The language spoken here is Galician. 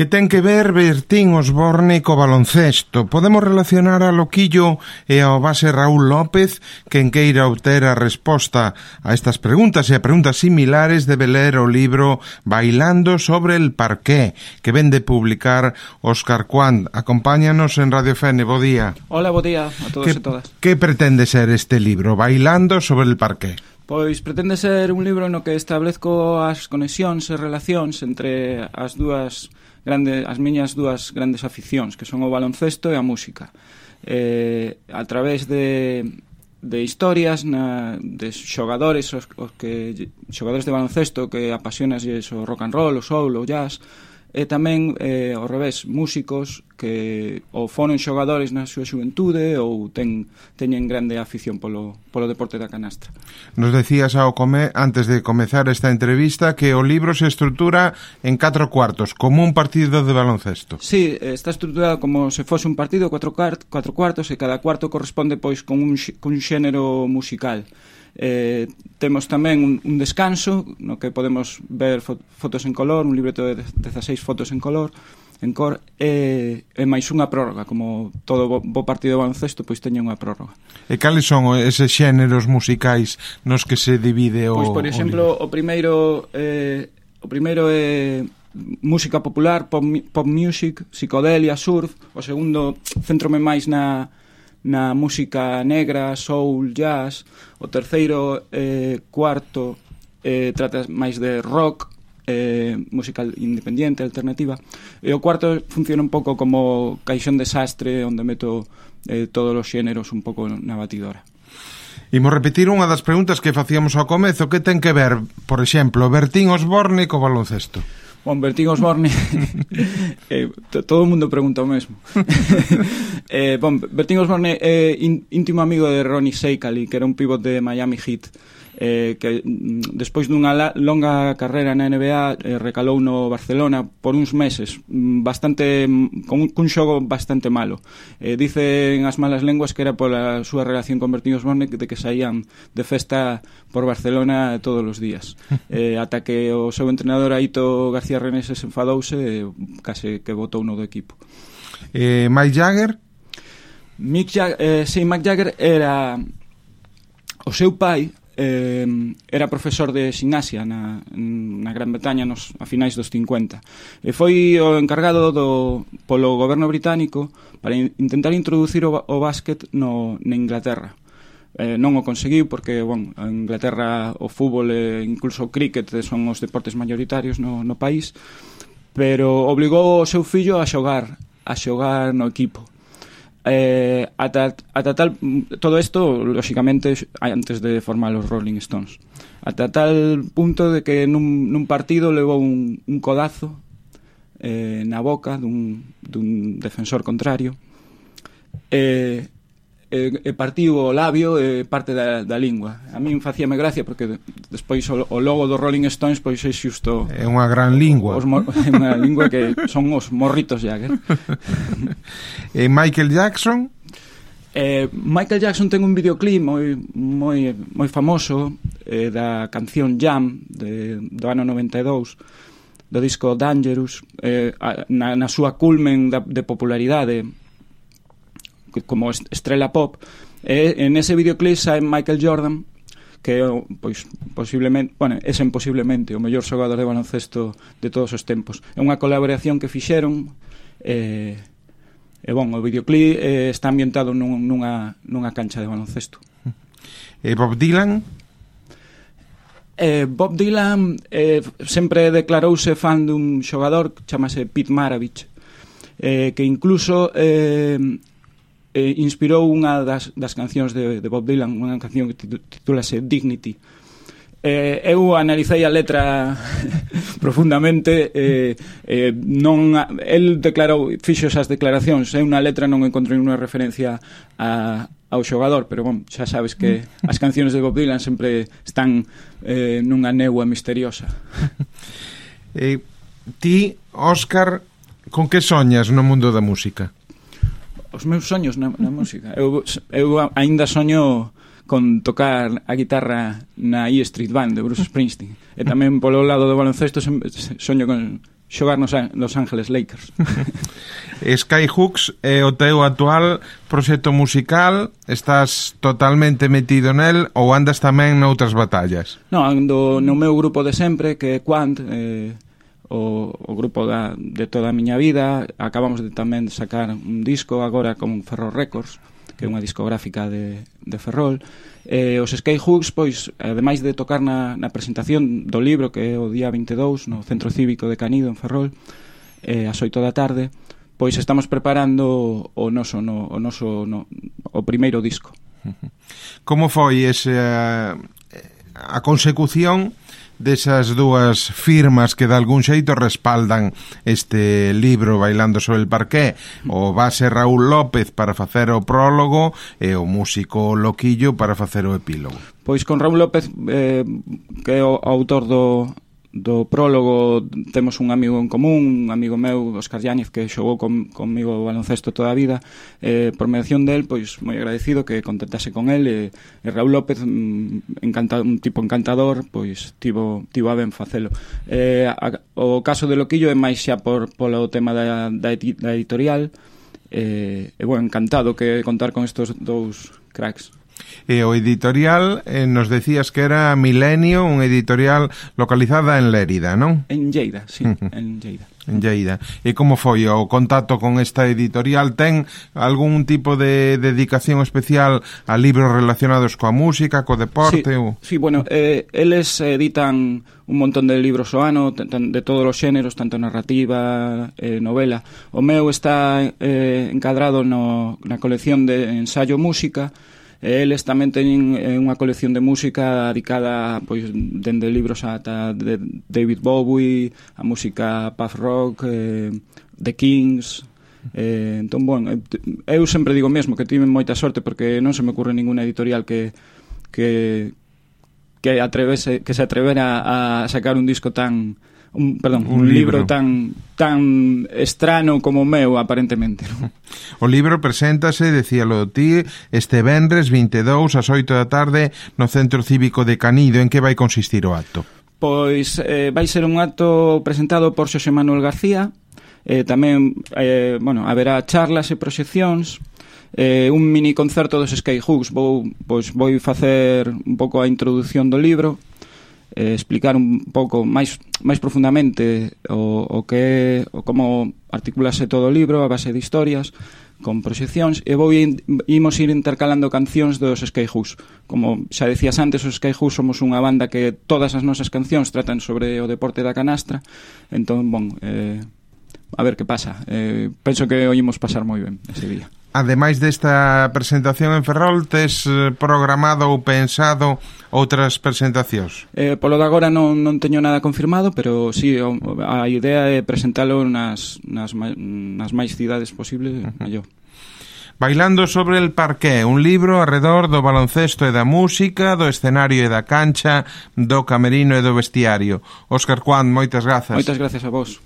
Que ten que ver Bertín Osborne co baloncesto? Podemos relacionar a Loquillo e ao base Raúl López? Quen queira obter a resposta a estas preguntas e a preguntas similares debe ler o libro Bailando sobre el parqué, que ven de publicar Óscar Cuand. Acompáñanos en Radio Fene. Bo día. Hola, bo día a todos e todas. Que pretende ser este libro, Bailando sobre el parqué? Pois pretende ser un libro no que establezco as conexións e relacións entre as miñas dúas grandes aficións, que son o baloncesto e a música. A través de historias de xogadores xogadores de baloncesto que apasionasles o rock and roll, o soul, o jazz, e tamén, ao revés, músicos que ou foron xogadores na súa xuventude ou teñen grande afición polo deporte da canastra. Nos decías antes de comezar esta entrevista que o libro se estrutura en 4 cuartos, como un partido de baloncesto. Sí, está estruturado como se fose un partido, 4 cuartos, e cada cuarto corresponde pois con un xénero musical. Temos tamén un descanso no que podemos ver fotos en color, un libreto de 16 fotos en cor, e máis unha prórroga, como todo bo partido de baloncesto, pois teña unha prórroga. E cales son eses xéneros musicais nos que se divide o pois, por exemplo, o primeiro é música popular, pop music, psicodelia, surf. O segundo, centrome máis na música negra, soul, jazz. O terceiro, cuarto, trata máis de rock, música independiente, alternativa. E o cuarto funciona un pouco como caixón desastre, onde meto todos os xéneros un pouco na batidora. Imos repetir unha das preguntas que facíamos ao comezo. Que ten que ver, por exemplo, Bertín Osborne co baloncesto? Bon, Bertín Osborne todo o mundo pregunta o mesmo. Bertín Osborne é íntimo amigo de Ronnie Seikaly, que era un pivot de Miami Heat, que despois dunha longa carreira na NBA recalou no Barcelona por uns meses, cun xogo bastante malo. Dicen as malas lenguas que era pola súa relación con Bertín Osborne, de que saían de festa por Barcelona todos os días, ata que o seu entrenador Aito García Reneses enfadouse e case que botou no do equipo. Mick Jagger? Mick Jagger era o seu pai. Era profesor de ximnasia na Gran Bretaña a finais dos 50 e foi o encargado polo goberno británico para intentar introducir o básquet na Inglaterra. Non o conseguiu porque, en Inglaterra o fútbol e incluso o cricket son os deportes mayoritarios no país, pero obligou o seu fillo a xogar no equipo. Ata tal, todo isto lógicamente antes de formar os Rolling Stones, ata tal punto de que nun partido levou un codazo na boca dun defensor contrario e partiu o labio e parte da lingua. A min facíame gracia porque despois o logo dos Rolling Stones pois é xusto, é unha gran lingua, é unha lingua que son os morritos Jagger. E Michael Jackson? Michael Jackson ten un videoclip moi famoso da canción Jam do ano 92, do disco Dangerous, na súa culmen de popularidade como estrela pop. En ese videoclip sae Michael Jordan, que pois posiblemente, posiblemente o mellor xogador de baloncesto de todos os tempos. É unha colaboración que fixeron o videoclip está ambientado nunha cancha de baloncesto. E Bob Dylan? Bob Dylan sempre declarouse fan dun xogador que chamase Pete Maravich, que incluso inspirou unha das cancións de Bob Dylan, unha canción que titúlase Dignity. Eu analicei a letra profundamente, el fixo esas declaracións, eu na letra non encontrei unha referencia ao xogador, pero xa sabes que as cancións de Bob Dylan sempre están nunha néboa misteriosa. Ti, Óscar, con que soñas no mundo da música? Os meus soños na música, eu aínda soño con tocar a guitarra na E Street Band de Bruce Springsteen, e tamén polo lado do baloncesto soño con xogar nos Los Angeles Lakers. Skyhooks é o teu actual proxecto musical? Estás totalmente metido nel ou andas tamén noutras batallas? Non, ando no meu grupo de sempre, que é Quant, o grupo de toda a miña vida. Acabamos de tamén sacar un disco agora con Ferrol Records, que é unha discográfica de Ferrol. Os Skyhooks, pois, ademais de tocar na presentación do libro, que é o día 22 no Centro Cívico de Canido en Ferrol, ás 8 da tarde, pois estamos preparando o primeiro disco. Como foi a consecución desas dúas firmas que de algún xeito respaldan este libro Bailando sobre el parqué? O base Raúl López para facer o prólogo e o músico Loquillo para facer o epílogo. Pois con Raúl López, que é o autor do prólogo, temos un amigo en común, un amigo meu, Óscar Yáñez, que xogou comigo o baloncesto toda a vida. Por mediación del, pois moi agradecido que contactase con el, e Raúl López, un tipo encantador, pois tivo a ben facelo. O caso de Loquillo é máis xa polo tema da editorial, e bueno, encantado que contar con estos dous cracks. E o editorial, nos decías que era Milenio, unha editorial localizada en Lérida, non? En Lleida, sí, en Lleida. En Lleida. E como foi o contacto con esta editorial? Ten algún tipo de dedicación especial a libros relacionados coa música, co deporte? Sí, bueno, eles editan un montón de libros ao ano, de todos os xéneros, tanto narrativa, novela. O meu está encadrado na colección de ensayo música. Eles tamén teñen unha colección de música dedicada, pois, dende libros ata de David Bowie, a música puff rock, The Kings. Entón, bueno, eu sempre digo mesmo que tive moita sorte, porque non se me ocurre ninguna editorial que se atrevera a sacar un disco un libro tan estrano como o meu, aparentemente, non? O libro preséntase, decíalo ti, este venres 22 ás 8 da tarde no Centro Cívico de Canido. En que vai consistir o acto? Pois vai ser un acto presentado por Xosé Manuel García. Tamén, bueno, haberá charlas e proxeccións, un mini concerto dos Skyhooks. Vou facer un pouco a introdución do libro, explicar un pouco máis profundamente o que como articulase todo o libro a base de historias con proxeccións, e imos ir intercalando cancións dos Skyhooks. Como xa decías antes, os Skyhooks somos unha banda que todas as nosas cancións tratan sobre o deporte da canastra. Entón, bon, a ver que pasa. Penso que o imos pasar moi ben ese día. Ademais desta presentación en Ferrol, tes programado ou pensado outras presentacións? Polo de agora non teño nada confirmado, pero sí, a idea é presentalo nas máis cidades posibles, mellor. Bailando sobre el parqué, un libro arredor do baloncesto e da música, do escenario e da cancha, do camerino e do vestiario. Óscar Quant, moitas grazas. Moitas grazas a vos.